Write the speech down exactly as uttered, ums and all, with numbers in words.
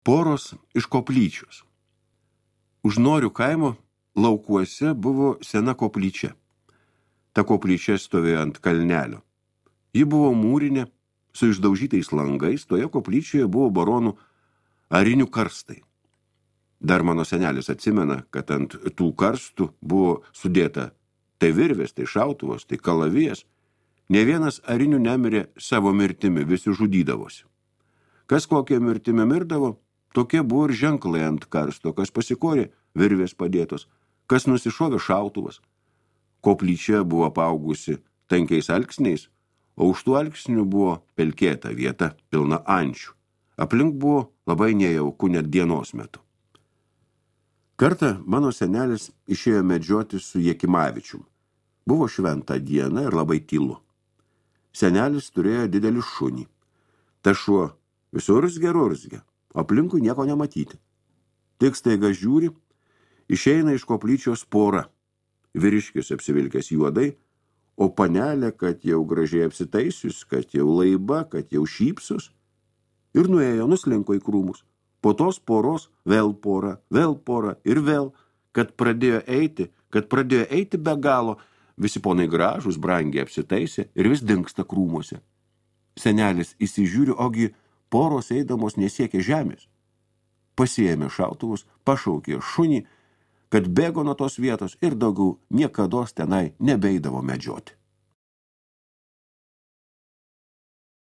Poros iš koplyčios. Už Norių kaimo laukuose buvo sena koplyčia. Ta koplyčia stovėjo ant kalnelio. Ji buvo mūrinė, su išdaužytais langais, toje koplyčioje buvo baronų arinių karstai. Dar mano senelis atsimena, kad ant tų karstų buvo sudėta tai virvės, tai šautuvos, tai kalavijas. Ne vienas arinių nemirė savo mirtimi, visi žudydavosi. Kas kokie mirtimi mirdavo, tokie buvo ir ženklai ant karsto, kas pasikorė virvės padėtos, kas nusišovė šautuvas. Koplyčia buvo apaugusi tankiais alksniais, o už tų alksnių buvo pelkėta vieta, pilna ančių. Aplink buvo labai nejauku net dienos metu. Kartą mano senelis išėjo medžioti su Jekimavičium. Buvo šventa diena ir labai tylu. Senelis turėjo didelį šunį. Ta šuo visur urzgia, aplinkui nieko nematyti. Tik staiga žiūri, išeina iš koplyčios pora. Vyriškis apsivilkęs juodai, o panelė, kad jau gražiai apsitaisius, kad jau laiba, kad jau šypsus. Ir nuėjo, nuslinko į krūmus. Po tos poros vėl pora, vėl pora ir vėl, kad pradėjo eiti, kad pradėjo eiti be galo, visi ponai gražus, brangiai apsitaisė ir vis dingsta krūmuose. Senelis įsižiūri, ogi poros eidamos nesiekė žemės. Pasiėmė šautuvus, pašaukė šunį, kad bėgo nuo tos vietos ir daugiau niekados tenai nebeidavo medžioti.